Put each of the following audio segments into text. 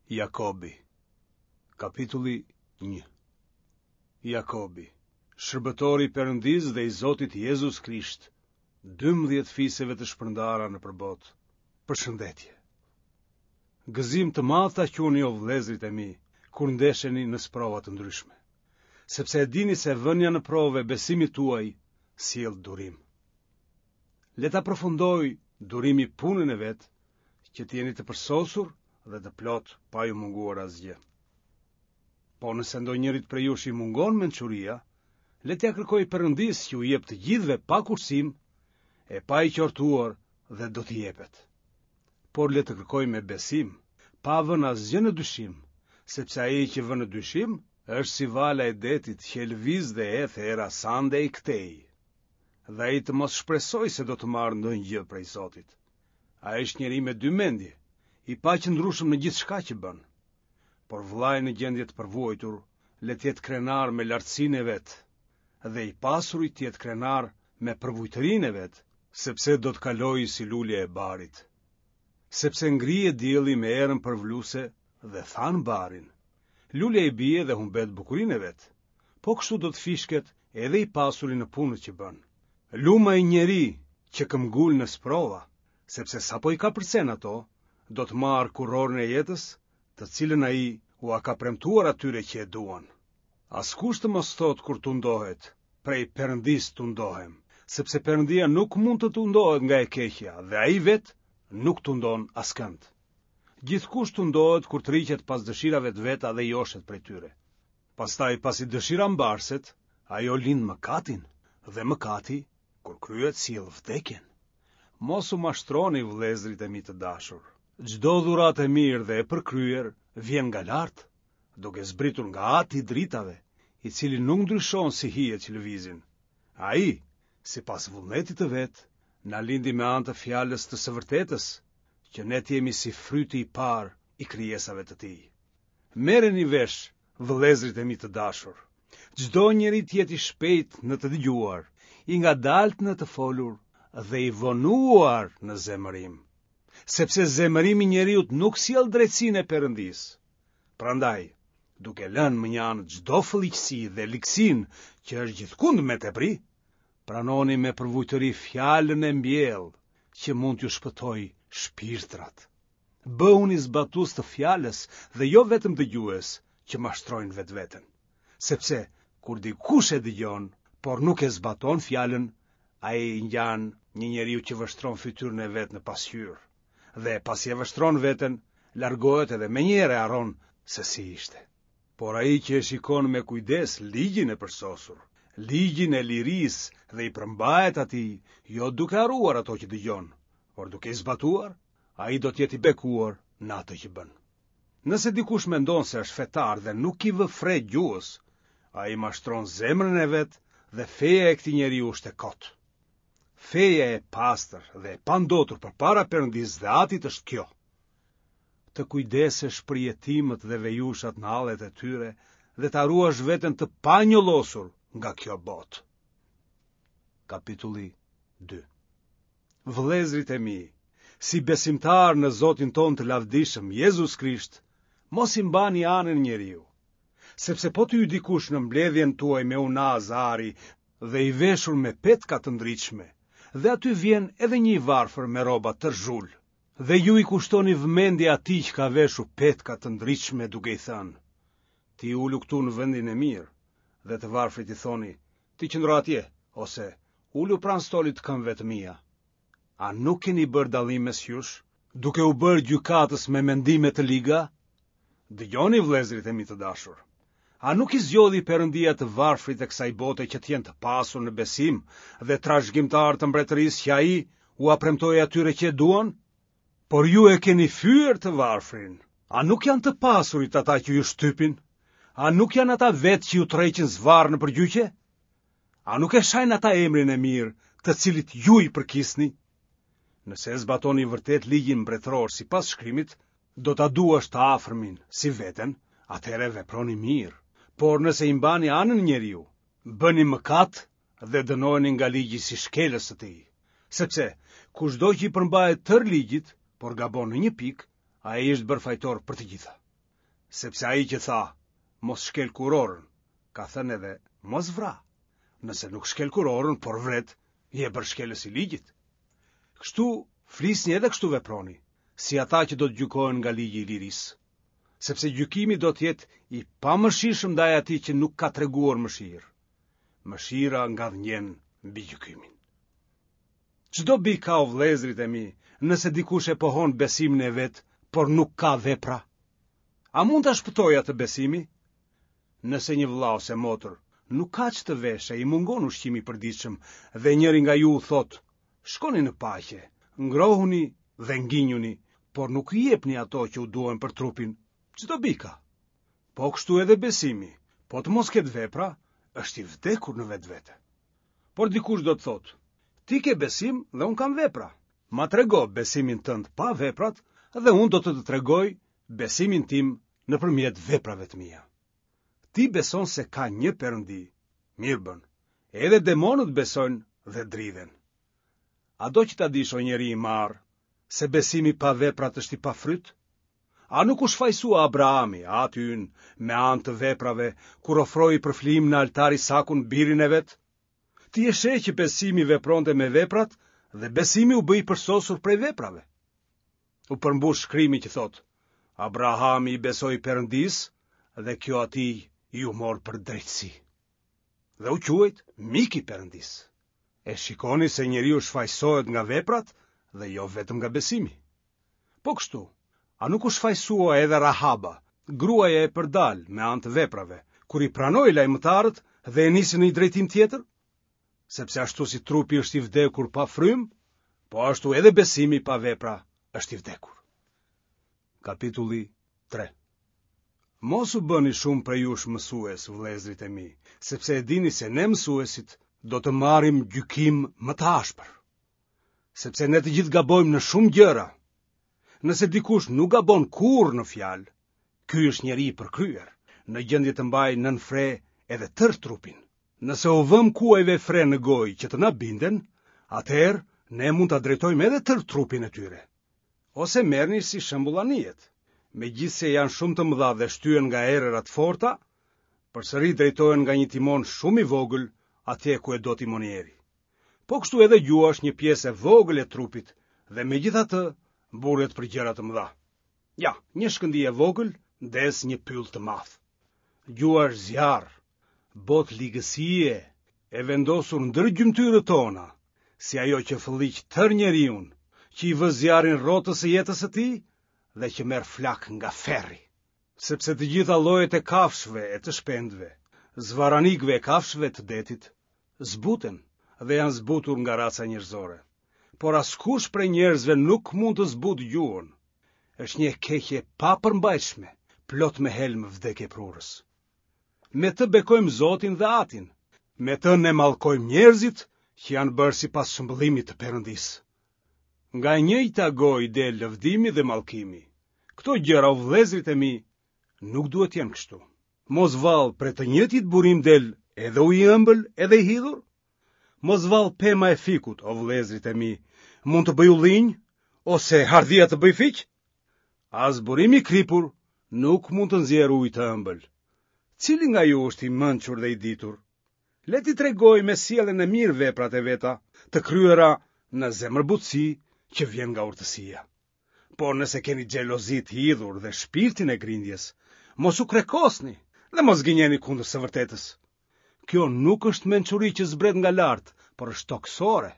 Jakobi, kapitulli 1 Jakobi, shërbëtori i Perëndisë dhe i Zotit Jezus Krisht, 12 fiseve të shpërndara nëpër botë. Përshëndetje. Gëzim të madh ta quani o vëllezërit e mi, kur ndesheni në sprova të ndryshme, sepse e dini se vënia në provë e besimit tuaj sjell durim. Le ta përfundojë durimi punën e vet, që të jeni të përsosur dhe të plotë pa ju munguar asgjë. Po nëse ndonjërit prej jush i mungon mençuria, le t'ia kërkojë Perëndisë që u jep të gjithëve pa kursim e pa i qortuar dhe do t'i jepet. Por le të kërkojë me besim, pa vënë asgjë në dyshim, sepse ai që vë në dyshim është si vala e detit që e lëviz dhe e eth era sa andej këtej. Dhe ai të mos shpresojë se do të marrë ndonjë gjë prej Zotit. Ai është njeri me dy mendje, i paqëndrueshëm në gjithçka që bën. Por vëllai në gjendje të përvuajtur, le të jetë krenar me lartësinë e vet, dhe i pasuri të jetë krenar me përvujtërinë e vet, sepse do të kalojë si lulja e barit. Sepse ngrihet dielli me erën përvëluese dhe than barin. Lulja i bie dhe humbet bukurinë e vet. Po kështu do të fishket edhe i pasuri në punët që bën. Lum ai njeri që këmbgul në sprova, sepse sapo i kapërcen ato, do të marrë kurorën e jetës, të cilën ai ua ka premtuar atyre që e duan. Askush të mos thotë kur tundohet, prej Perëndisë tundohem, sepse Perëndia nuk mund të tundohet nga e keqja dhe ai vetë nuk tundon askënd. Gjithkush tundohet kur tërhiqet pas dëshirave të veta dhe joshet prej tyre. Pastaj pasi dëshira mbarset, ajo lind mëkatin dhe mëkati, kur kryhet sjell vdekjen. Mos u mashtroni vëllezërit e mi të dashur. Çdo dhuratë e mirë dhe e përkryer vjen nga lart, duke zbritur nga Ati i dritave, i cili nuk ndryshon si hijet që lëvizin. Ai, sipas vullnetit të vet, na lindi me anë të fjalës të së vërtetës, që ne të jemi si fryti i parë i krijesave të tij. Merreni vesh, vëllezërit e mi të dashur. Çdo njeri të jetë i shpejtë në të dëgjuar, i ngadaltë në të folur dhe i vonuar në zemërim. Sepse zemërimi i njeriut nuk sjell drejtësinë e Perëndisë. Prandaj, duke lënë mënjanë çdo fëlliqësi dhe ligësinë që është gjithkund me tepri, pranoni me përvujtëri fjalën e mbjellë që mund t'ju shpëtojë shpirtrat. Bëhuni zbatues të fjalës dhe jo vetëm dëgjues që mashtrojnë vetveten. Sepse kur dikush e dëgjon, por nuk e zbaton fjalën, ai i ngjan një njeriu që vështron fytyrën e vet në pasqyrë. Dhe pasi e vështron veten, largohet edhe menjëherë e harron se si ishte. Por ai që e shikon me kujdes ligjin e përsosur, ligjin e lirisë dhe i përmbahet atij, jo duke harruar ato që dëgjon, por duke i zbatuar, ai do të jetë i bekuar në atë që bën. Nëse dikush mendon se është fetar dhe nuk i vë fre gjuhës, ai mashtron zemrën e vet dhe feja e këtij njeriu është e kotë. Feja e pastër dhe e pandotur përpara Perëndisë dhe Atit është kjo. Të kujdesesh për jetimët dhe vejushat në hallet e tyre dhe ta ruash veten të panjollosur nga kjo botë. Kapitulli 2 Vëllezërit e mi, si besimtarë në Zotin tonë të lavdishëm, Jezus Krisht, mos i mbani anën njeriu. Sepse po të hyjë dikush në mbledhjen tuaj me unazë ari dhe i veshur me petka të ndritshme, dhe aty vjen edhe një i varfër me rroba tërë zhul, dhe ju i kushtoni vëmendje atij që ka veshur petka të ndritshme duke i thënë, ti ulu këtu në vendin e mirë, dhe të varfrit i thoni, ti qëndro atje, ose ulu pranë stolit të këmbëve të mia. A nuk keni bërë dallim mes jush, duke u bërë gjykatës me mendime të liga? Dëgjoni vëllezërit e mi të dashur. A nuk i zgjodhi Perëndia të varfrit e kësaj bote që të jenë të pasur në besim dhe trashëgimtarë të mbretërisë që ai ua premtoi atyre që e duan? Por ju e keni fyer të varfrin. A nuk janë të pasurit ata që ju shtypin? A nuk janë ata vetë që ju tërheqin zvarrë nëpër gjyqe? A nuk e shajnë ata emrin e mirë, të cilit ju i përkisni? Nëse e zbatoni vërtet ligjin mbretëror sipas shkrimit, do ta duash të afërmin si veten, atëherë veproni mirë. Por nëse i mbani anën njeriu, bëni mëkat dhe dënoheni nga ligji si shkelës të tij. Sepse, kushdo që i përmbahet tërë ligjit, por gabon në një pikë, ai është bërë fajtor për të gjitha. Sepse ai që tha, mos shkel kurorën, ka thënë edhe mos vra. Nëse nuk shkel kurorën, por vret, je bërë shkelës i ligjit. Kështu flisni edhe kështu veproni, si ata që do të gjykohen nga ligji i lirisë. Sepse gjykimi do të jetë i pamëshirshëm ndaj atij që nuk ka treguar mëshirë. Mëshira ngadhënjen mbi gjykimin. Ç'dobi ka o vëllezërit e mi, nëse dikush e pohon besimin e vet, por nuk ka vepra? A mund ta shpëtojë atë besimi? Nëse një vëlla ose motër nuk ka ç'të veshë e i mungon ushqimi i përditshëm dhe njëri nga ju u thotë, shkoni në paqe, ngrohuni dhe nginjuni, por nuk i jepni ato që u duhen për trupin, ç'dobi ka? Po kështu edhe besimi, po të mos ketë vepra, është i vdekur në vetvete. Por dikush do të thotë, ti ke besim dhe unë kam vepra. Ma trego besimin tënd pa veprat dhe unë do të të tregoj besimin tim nëpërmjet veprave të mia. Ti beson se ka një Perëndi, mirë bën. Edhe demonët besojnë dhe dridhen. A do që ta dish o njeri i marrë, se besimi pa veprat është i pafryt? A nuk u shfajësua Abrahami, ati ynë, me anë të veprave, kur ofroi për flijim në altar Isakun, birin e vet? Ti e sheh që besimi vepronte me veprat dhe besimi u bë i përsosur prej veprave. U përmbush shkrimi që thotë, Abrahami i besoi Perëndisë dhe kjo atij iu mor për drejtësi. Dhe u quajt mik i Perëndisë. E shikoni se njeriu shfajësohet nga veprat dhe jo vetëm nga besimi. Po kështu, a nuk u shfajësua edhe Rahaba, gruaja e përdalë me anë të veprave, kur i pranoi lajmëtarët dhe e nisi në një drejtim tjetër? Sepse ashtu si trupi është i vdekur pa frymë, po ashtu edhe besimi pa vepra është i vdekur. Kapitulli 3 Mos u bëni shumë prej jush mësues, vëllezërit e mi, sepse e dini se ne mësuesit do të marrim gjykim më të ashpër. sepse ne të gjithë gabojmë në shumë gjëra. Nëse dikush nuk gabon kurrë në fjalë, ky është njeri i përkryer, në gjendje të mbajë nën fre edhe tërë trupin. Nëse u vëmë kuajve fre në gojë që të na binden, atëherë ne mund ta drejtojmë edhe tërë trupin e tyre. Ose merrni si shembull anijet. Megjithëse janë shumë të mëdha dhe shtyhen nga erëra të forta, përsëri drejtohen nga një timon shumë i vogël atje ku e do timonieri. Po kështu edhe gjuha është një pjesë e vogël e trupit dhe megjithatë mburret për gjëra të mëdha. Ja, një shkëndijë e vogël ndez një pyll të madh. Gjuha është zjarr, botë ligësie e vendosur ndër gjymtyrët tona, si ajo që fëlliq tërë njeriun, që i vë zjarrin rrotës së jetës së tij dhe që merr flakë nga ferri. Sepse të gjitha llojet e kafshëve e të shpendëve, zvarranikëve e kafshëve të detit, zbuten dhe janë zbutur nga raca njerëzore. Por askush prej njerëzve nuk mund të zbutë gjuhën. Është një e keqe e papërmbajtshme, plot me helm vdekjeprurës. Me të bekojmë Zotin dhe Atin. Me të ne mallkojmë njerëzit që janë bërë sipas shëmbëllimit të Perëndisë. Nga e njëjta gojë del lëvdimi dhe mallkimi. Këto gjëra o vëllezërit e mi nuk duhet të jenë kështu. Mos vallë prej të njëjtit burim del edhe ujë i ëmbël edhe i hidhur? Mos vallë pema e fikut, o vëllezërit e mi, mund të bëjë ullinj ose hardhia të bëjë fiq? As burimi i kripur nuk mund të nxjerrë ujë të ëmbël. Cili nga ju është i mençur dhe i ditur? Le t'i tregojë me sjelljen e mirë veprat e veta, të kryera në zemërbutësi që vjen nga urtësia. Por nëse keni xhelozi të hidhur dhe shpirtin e grindjes, mos u krekosni dhe mos gënjeni kundër së vërtetës. Kjo nuk është mençuri që zbret nga lart, por është tokësore,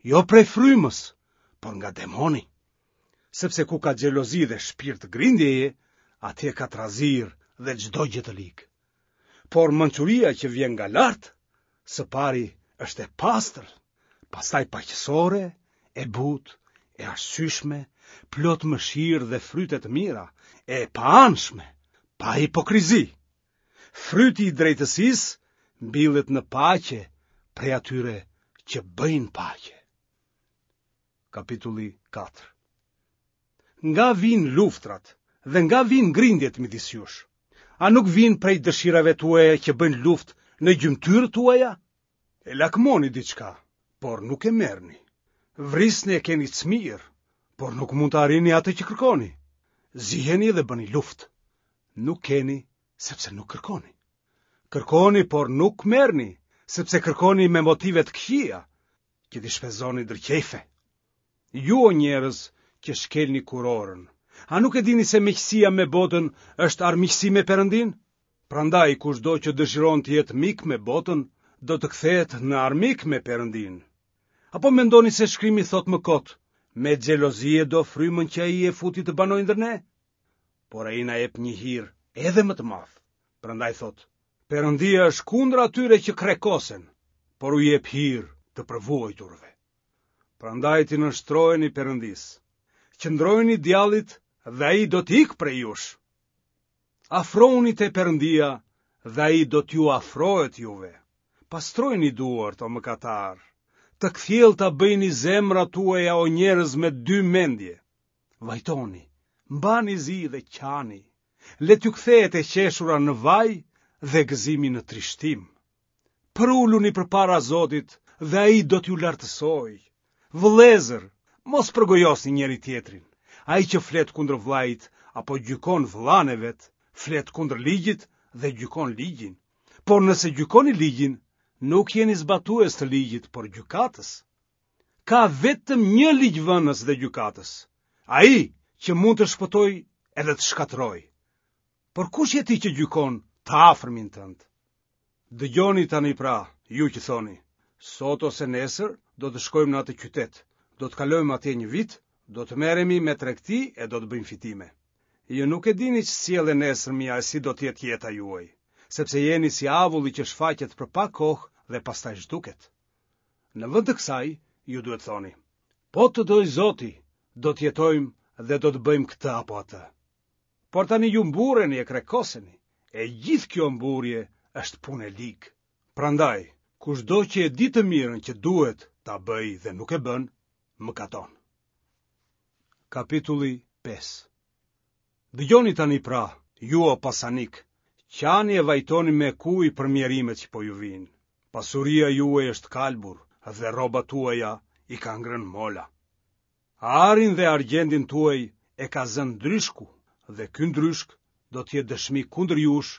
jo prej frymës, por nga demoni. Sepse ku ka xhelozi dhe shpirt grindjeje, atje ka trazirë dhe çdo gjë të ligë. Por mençuria që vjen nga lart, së pari është e pastër, pastaj paqësore, e butë, e arsyeshme, plot mëshirë dhe fryte të mira, e paanshme, pa hipokrizi. Fryti i drejtësisë mbillet në paqe prej atyre që bëjnë paqe. Kapitulli 4 Nga vijnë luftrat dhe nga vijnë grindjet midis jush? A nuk vijnë prej dëshirave tuaja që bëjnë luftë në gjymtyrët tuaja? E lakmoni diçka, por nuk e merrni. Vrisni e keni cmirë, por nuk mund të arrini atë që kërkoni. Ziheni dhe bëni luftë. Nuk keni, sepse nuk kërkoni. Kërkoni, por nuk merrni, sepse kërkoni me motive të këqija, që t'i shpenzoni ndër qejfe. Ju o njerëz që shkelni kurorën, a nuk e dini se miqësia me botën është armiqësi me Perëndinë? Prandaj kushdo që dëshiron të jetë mik me botën, do të kthehet në armik me Perëndinë. Apo mendoni se shkrimi thotë më kot, me xhelozi e do frymën që ai e futi të banojë ndër ne? Por ai na jep një hir edhe më të madh. Prandaj thotë, Perëndia është kundër atyre që krekosen, por u jep hir të përvuajturve. Prandaj t'i nënshtroheni Perëndisë. Qëndrojini djallit dhe ai do të ikë prej jush. Afrohuni te Perëndia dhe ai do t'ju afrohet juve. Pastrojini duart o mëkatarë. Të kthjellëta bëjini zemrat tuaja o njerëz me dy mendje. Vajtoni, mbani zi dhe qani. Le t'ju kthehet e qeshura në vaj dhe gëzimi në trishtim. Përuluni përpara Zotit dhe ai do t'ju lartësojë. Vëllezër, mos përgojosni njëri-tjetrin. Ai që flet kundër vëllait apo gjykon vëllanë e vet, flet kundër ligjit dhe gjykon ligjin. Por nëse gjykoni ligjin, nuk jeni zbatues të ligjit, por gjykatës. Ka vetëm një ligjvënës dhe gjykatës, ai që mund të shpëtojë edhe të shkatërrojë. Por kush je ti që gjykon të afërmin tënd? Dëgjoni tani pra, ju që thoni, sot ose nesër do të shkojmë në atë qytet, do të kalojmë atje një vit, do të merremi me tregti e do të bëjmë fitime. Ju nuk e dini ç'sjell e nesërmja e si do të jetë jeta juaj, sepse jeni si avulli që shfaqet për pak kohë dhe pastaj zhduket. Në vend të kësaj, ju duhet të thoni, po të dojë Zoti, do të jetojmë dhe do të bëjmë këtë apo atë. Por tani ju mburreni e krekoseni, e gjithë kjo mburrje është punë e ligë. Prandaj, kushdo që e di të mirën që duhet ta bëjë dhe nuk e bën, mëkaton. Kapitulli 5 Dëgjoni tani pra, ju o pasanikë, qani e vajtoni me kujë për mjerimet që po ju vijnë. Pasuria juaj është kalbur dhe rrobat tuaja i ka ngrënë mola. Arin dhe argjendin tuaj e ka zënë ndryshku dhe ky ndryshk do të jetë dëshmi kundër jush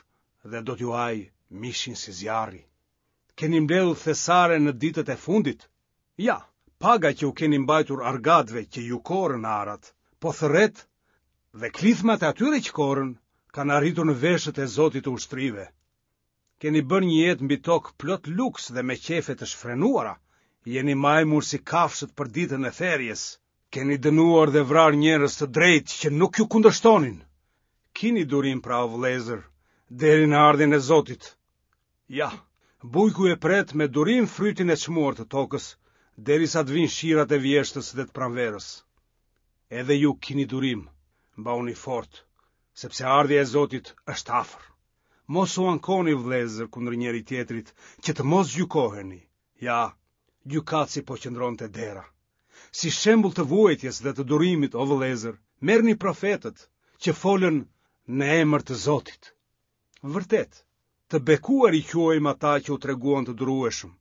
dhe do t'ju hajë mishin si zjarri. Keni mbledhur thesare në ditët e fundit. Ja, paga që u keni mbajtur argatëve që ju korrën arat, po thërret dhe klithmat e atyre që korrën kanë arritur në veshët e Zotit të ushtrive. Keni bërë një jetë mbi tokë plot luks dhe me qejfe të shfrenuara. Jeni majmur si kafshët për ditën e therjes. Keni dënuar dhe vrarë njerëz të drejtë që nuk ju kundërshtonin. Kini durim pra o vëllezër, deri në ardhjen e Zotit. Ja, bujku e pret me durim frytin e çmuar të tokës, derisa të vijnë shirat e vjeshtës dhe të pranverës. Edhe ju kini durim, mbahuni fort, sepse ardhja e Zotit është afër. Mos u ankoni vëllezër kundër njëri-tjetrit, që të mos gjykoheni. Ja, gjykatësi po qëndron te dera. Si shembull të vuajtjes dhe të durimit, o vëllezër, merrni profetët që folën në emër të Zotit. Vërtet, të bekuar i quajmë ata që u treguan të durueshëm.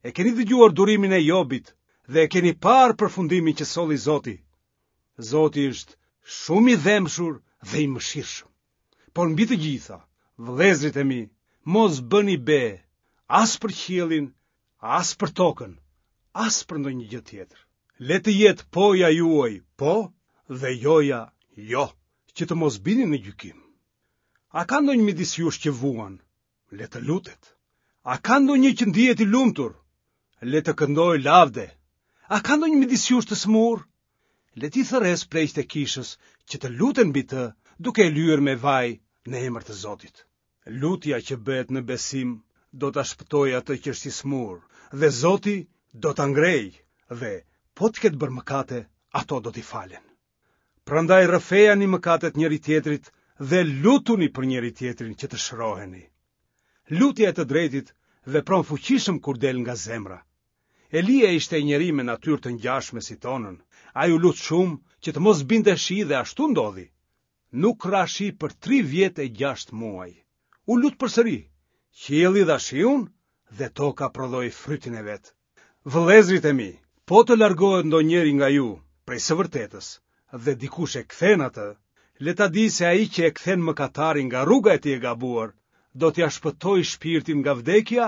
E keni dëgjuar durimin e Jobit dhe e keni parë përfundimin që solli Zoti. Zoti është shumë i dhembshur dhe i mëshirshëm. Por mbi të gjitha, vëllezërit e mi, mos bëni be as për qiellin, as për tokën, as për ndonjë gjë tjetër. Le të jetë poja juaj po dhe joja jo, që të mos bini në gjykim. A ka ndonjë midis jush që vuan? Le të lutet. A ka ndonjë që ndihet i lumtur? Le të këndojë lavde. A ka ndonjë midis jush të sëmurë? Le t'i thërrasë pleqtë e kishës që të luten mbi të, duke e lyer me vaj në emër të Zotit. Lutja që bëhet në besim do ta shpëtojë atë që është i sëmurë, dhe Zoti do ta ngrejë dhe po të ketë bërë mëkate, ato do t'i falen. Prandaj rrëfejani mëkatet njëri-tjetrit dhe lutuni për njëri-tjetrin që të shëroheni. Lutja e të drejtit vepron fuqishëm kur del nga zemra. Elia ishte njeri me natyrë të ngjashme si tonën. Ai u lut shumë që të mos binte shi dhe ashtu ndodhi. Nuk ra shi për tri vjet e gjashtë muaj. U lut përsëri. Qielli dha shiun dhe toka prodhoi frytin e vet. Vëllezërit e mi, po të largohet ndonjëri nga ju prej së vërtetës dhe dikush e kthen atë, Le ta dijë se ai që e kthen mëkatarin nga rruga e tij e gabuar, do t'ia shpëtojë shpirtin nga vdekja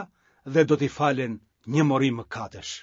dhe do t'i falen një mori mëkatesh.